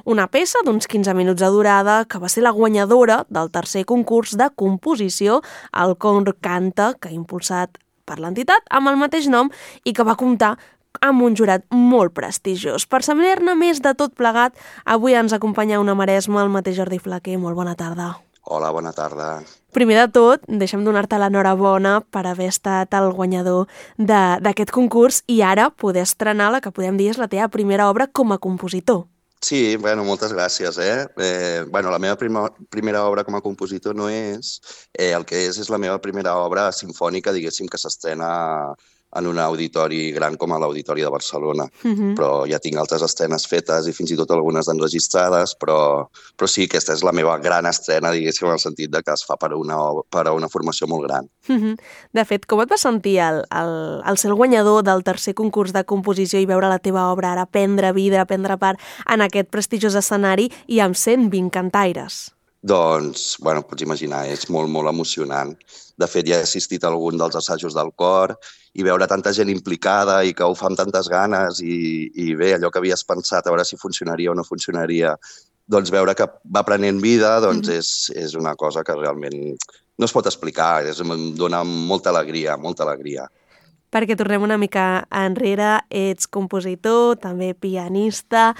una peça d'uns 15 minuts de durada que va ser la guanyadora del tercer concurs de composició, el Cor Canta, que ha impulsat per l'entitat amb el mateix nom i que va comptar amb un jurat molt prestigiós. Per saber-ne més de tot plegat, avui ens acompanya una maresma, el mateix Jordi Flaquer. Molt bona tarda. Hola, bona tarda. Primer de tot, deixa'm donar-te l'enhorabona per haver estat el guanyador d'aquest concurs i ara poder estrenar la que podem dir és la teva primera obra com a compositor. Sí, bueno, moltes gràcies, la meva primera obra com a compositor no és. El que és la meva primera obra sinfònica, diguéssim, que s'estrena en un auditori gran com a l'Auditori de Barcelona. Però ja tinc altres estrenes fetes i fins i tot algunes enregistrades, però sí, aquesta és la meva gran estrena, diguéssim, en el sentit de que es fa per a una formació molt gran. De fet, com et vas sentir al ser el guanyador del tercer concurs de composició i veure la teva obra ara prendre vida, prendre part en aquest prestigiós escenari i amb 120 cantaires? Doncs, pots imaginar, és molt, molt emocionant. De fet, ja he assistit a algun dels assajos del cor i veure tanta gent implicada i que ho fa amb tantes ganes i bé, allò que havies pensat a veure si funcionaria o no funcionaria, doncs veure que va prenent vida, doncs és una cosa que realment no es pot explicar, em dona molta alegria, molta alegria. Perquè tornem una mica enrere, ets compositor, també pianista.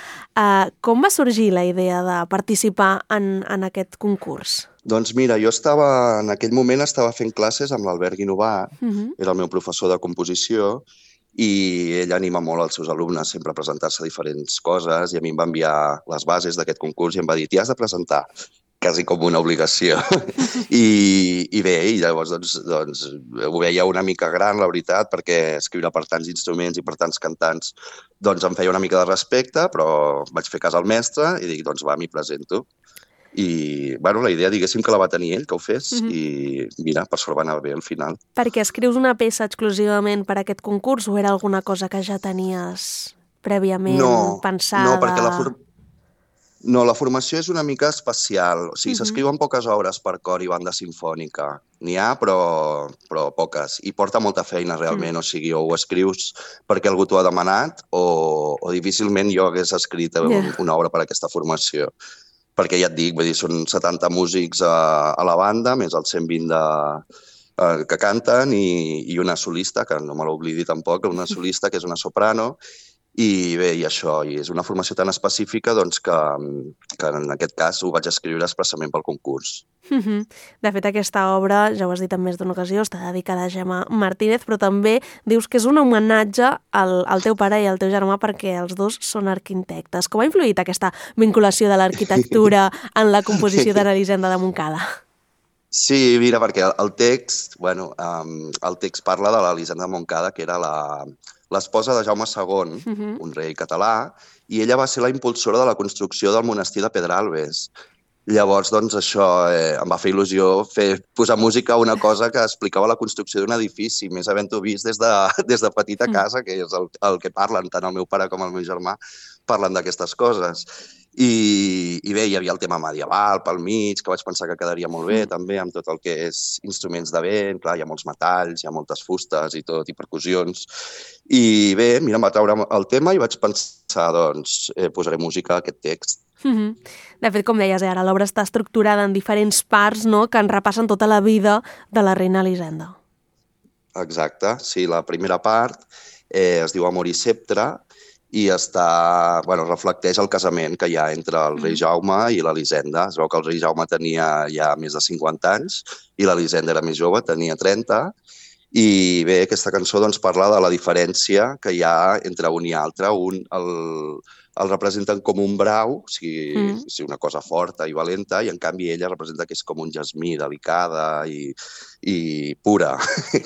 Com va sorgir la idea de participar en aquest concurs? Doncs mira, jo en aquell moment estava fent classes amb l'Albert Guinovart, era el meu professor de composició, i ell anima molt els seus alumnes sempre a presentar-se a diferents coses, i a mi em va enviar les bases d'aquest concurs i em va dir, t'hi has de presentar, quasi com una obligació. I bé, i llavors doncs, ho veia una mica gran, la veritat, perquè escriure per tants instruments i per tants cantants doncs em feia una mica de respecte, però vaig fer cas al mestre i dic, doncs va, m'hi presento. I la idea, diguéssim, que la va tenir ell, que ho fes, i mira, per sort va anar bé al final. Perquè escrius una peça exclusivament per a aquest concurs o era alguna cosa que ja tenies prèviament pensada? No, perquè la formació és una mica especial. O sigui, s'escriuen poques obres per cor i banda sinfònica. N'hi ha, però poques. I porta molta feina, realment. O sigui, o ho escrius perquè algú t'ho ha demanat o difícilment jo hagués escrit una obra per a aquesta formació. Perquè ja et dic, són 70 músics a la banda, més els 120 que canten i una solista, que no me l'oblidi tampoc, una solista que és una soprano, i bé, i això, i és una formació tan específica doncs, que en aquest cas ho vaig escriure expressament pel concurs. De fet, aquesta obra, ja ho has dit en més d'una ocasió, està dedicada a Gemma Martínez, però també dius que és un homenatge al teu pare i al teu germà perquè els dos són arquitectes. Com ha influït aquesta vinculació de l'arquitectura en la composició de l'Elisenda de Montcada? Sí, mira, perquè el text parla de l'Elisenda de Montcada, que era l'esposa de Jaume II, un rei català, i ella va ser la impulsora de la construcció del monestir de Pedralbes. Llavors, doncs, això em va fer il·lusió posar música a una cosa que explicava la construcció d'un edifici, més havent-ho vist des de petita casa, que és el que parlen, tant el meu pare com el meu germà, parlen d'aquestes coses. I bé, hi havia el tema medieval pel mig, que vaig pensar que quedaria molt bé, també, amb tot el que és instruments de vent, clar, hi ha molts metalls, hi ha moltes fustes i tot, i percussions. I bé, mira, em va treure el tema i vaig pensar, doncs, posaré música a aquest text. De fet, com deies ara, l'obra està estructurada en diferents parts, no?, que en repassen tota la vida de la reina Elisenda. Exacte, sí, la primera part es diu Amor i Sceptre i reflecteix el casament que hi ha entre el rei Jaume i l'Elisenda. Es veu que el rei Jaume tenia ja més de 50 anys i l'Elisenda era més jove, tenia 30. I bé, aquesta cançó doncs, parla de la diferència que hi ha entre un i altre. Un el representen com un brau, o sigui, una cosa forta i valenta, i en canvi ella representa que és com un jasmí, delicada i pura.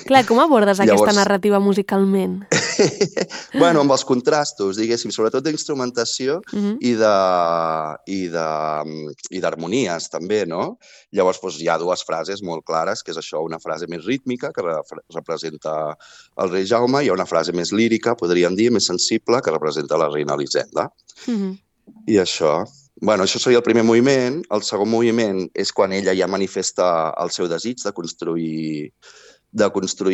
Clar, com abordes aquesta narrativa musicalment? Amb els contrastos, diguéssim, sobretot d'instrumentació i d'harmonies, també, no? Llavors, hi ha dues frases molt clares, que és això, una frase més rítmica, que representa el rei Jaume, i hi ha una frase més lírica, podríem dir, més sensible, que representa la reina Elisenda. I això seria el primer moviment. El segon moviment és quan ella ja manifesta el seu desig de construir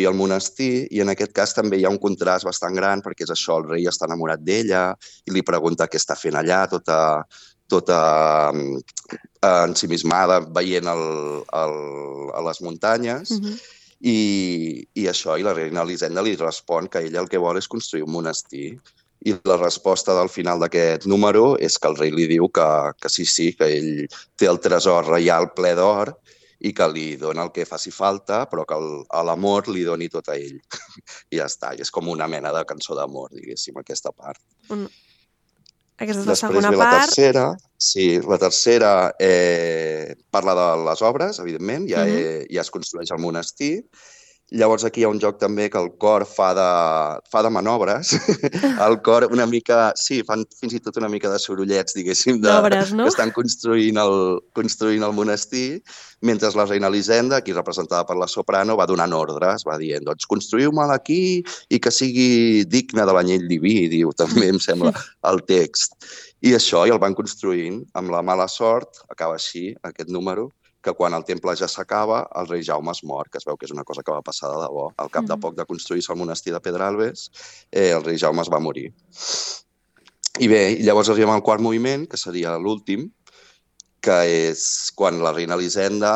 el monestir, i en aquest cas també hi ha un contrast bastant gran perquè és això, el rei està enamorat d'ella i li pregunta què està fent allà, tota ensimismada veient a les muntanyes. I això, i la reina Elisenda li respon que ella el que vol és construir un monestir. I la resposta del final d'aquest número és que el rei li diu que sí, que ell té el tresor reial ple d'or i que li dona el que faci falta, però que l'amor li doni tot a ell. I ja està, i és com una mena de cançó d'amor, diguéssim, aquesta part. Aquesta és la Després segona ve part. La tercera. Sí, la tercera parla de les obres, evidentment, ja es construeix el monestir. Llavors aquí hi ha un joc també que el cor fa de manobres. El cor una mica... Sí, fan fins i tot una mica de sorollets, diguéssim, d'obres, no? Que estan construint el monestir, mentre la reina Elisenda, aquí representada per la soprano, va donant ordres, va dient, doncs construïu-me'l aquí i que sigui digne de l'anyell diví, diu també, em sembla, el text. I això, i el van construint amb la mala sort, acaba així, aquest número, que quan el temple ja s'acaba, el rei Jaume es mor, que es veu que és una cosa que va passar de debò. Al cap de poc de construir-se el monestir de Pedralbes, el rei Jaume es va morir. I bé, llavors arribem al quart moviment, que seria l'últim, que és quan la reina Elisenda,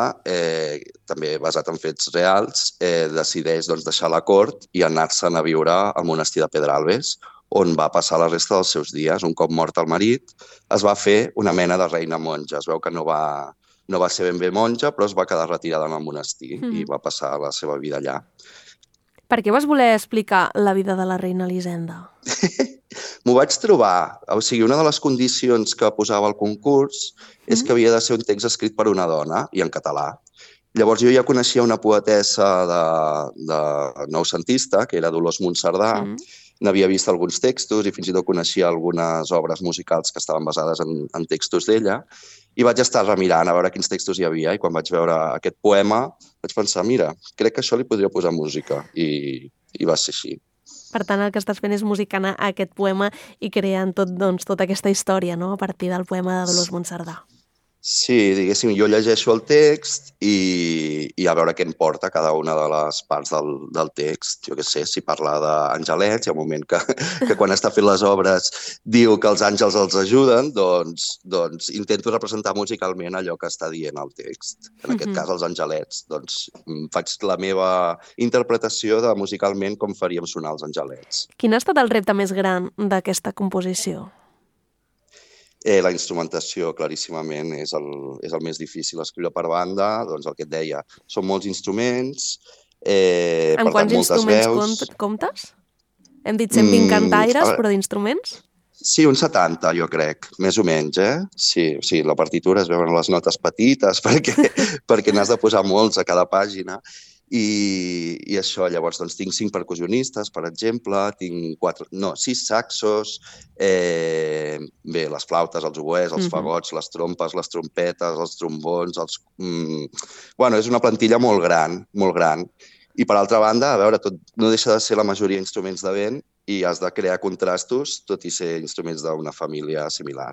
també basat en fets reals, decideix deixar la cort i anar-se'n a viure al monestir de Pedralbes, on va passar la resta dels seus dies. Un cop mort el marit, es va fer una mena de reina monja. Es veu que no va ser ben bé monja, però es va quedar retirada en el monestir i va passar la seva vida allà. Per què vas voler explicar la vida de la reina Elisenda? M'ho vaig trobar. O sigui, una de les condicions que posava el concurs és que havia de ser un text escrit per una dona i en català. Llavors jo ja coneixia una poetessa de noucentista, que era Dolors Monserdà. N'havia vist alguns textos i fins i tot coneixia algunes obres musicals que estaven basades en textos d'ella. I vaig estar remirant a veure quins textos hi havia i quan vaig veure aquest poema vaig pensar, mira, crec que això li podria posar música i va ser així. Per tant, el que estàs fent és musicant aquest poema i creant tota aquesta història, no?, a partir del poema de Dolors Monserdà. Sí, diguéssim, jo llegeixo el text i a veure què em porta cada una de les parts del text. Jo què sé, si parla d'angelets, hi ha un moment que quan està fent les obres diu que els àngels els ajuden, doncs intento representar musicalment allò que està dient el text. En aquest cas, els angelets. Doncs faig la meva interpretació de musicalment com faríem sonar els angelets. Quin ha estat el repte més gran d'aquesta composició? La instrumentació, claríssimament, és el més difícil. Escriure per banda, doncs el que et deia, són molts instruments, en quants instruments comptes? Hem dit 120 cantaires, però d'instruments? Sí, uns 70, jo crec, més o menys, Sí, la partitura es veuen les notes petites perquè n'has de posar molts a cada pàgina. I això, llavors, doncs tinc 5 percussionistes, per exemple, tinc 6 saxos, bé, les flautes, els oboès, els fagots, les trompes, les trompetes, els trombons, Bueno, és una plantilla molt gran, molt gran. I, per altra banda, a veure, tot no deixa de ser la majoria instruments de vent i has de crear contrastos, tot i ser instruments d'una família similar.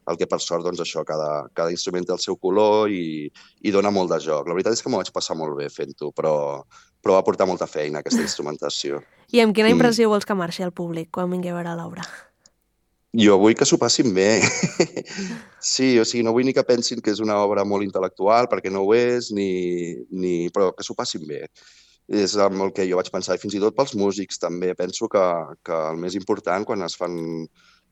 El que, per sort, doncs això, cada instrument té el seu color i dona molt de joc. La veritat és que m'ho vaig passar molt bé fent-ho, però va portar molta feina, aquesta instrumentació. I amb quina impressió vols que marxi el públic quan vingui a veure l'obra? Jo vull que s'ho passin bé. Sí, o sigui, no vull ni que pensin que és una obra molt intel·lectual, perquè no ho és, però que s'ho passin bé. És amb el que jo vaig pensar, i fins i tot pels músics també. Penso que el més important quan es fan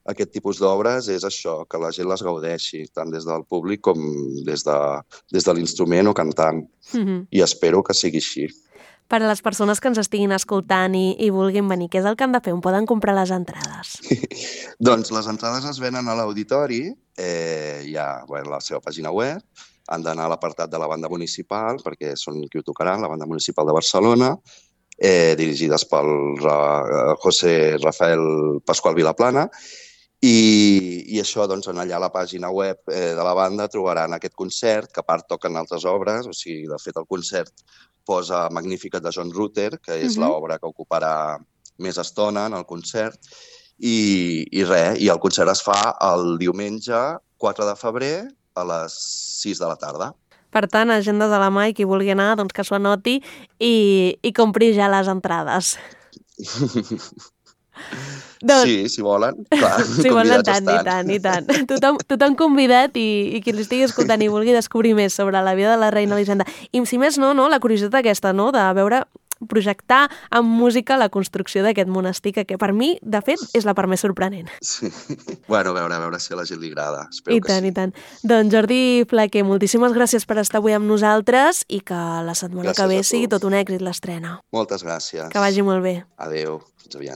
aquest tipus d'obres és això, que la gent les gaudeixi, tant des del públic com des de l'instrument o cantant. I espero que sigui així. Per a les persones que ens estiguin escoltant i vulguin venir, què és el que han de fer? On poden comprar les entrades? Doncs les entrades es venen a l'auditori, hi ha la seva pàgina web, han d'anar a l'apartat de la banda municipal, perquè són qui ho tocaran, la banda municipal de Barcelona, dirigides pel José Rafael Pascual Vilaplana, i això, doncs, allà a la pàgina web de la banda trobaran aquest concert, que a part toquen altres obres, o sigui, de fet, el concert posa Magnificat de John Rutter, que és l'obra que ocuparà més estona en el concert, i res, i el concert es fa el diumenge 4 de febrer a les 6 de la tarda. Per tant, agenda de la mà i qui vulgui anar, doncs que s'ho anoti i compri ja les entrades. Sí, si volen, clar, si volen, convidats i tant. Tothom convidat i qui l'estigui escoltant i vulgui descobrir més sobre la vida de la reina Elisenda. I si més no, la curiositat aquesta, no?, de veure projectar amb música la construcció d'aquest monestir, que per mi, de fet, és la part més sorprenent. Sí. Bueno, a veure si a la gent li agrada. Espero que sí. I tant. Doncs Jordi Flaquer, moltíssimes gràcies per estar avui amb nosaltres i que la setmana que ve sigui tot un èxit l'estrena. Moltes gràcies. Que vagi molt bé. Adéu, fins aviat.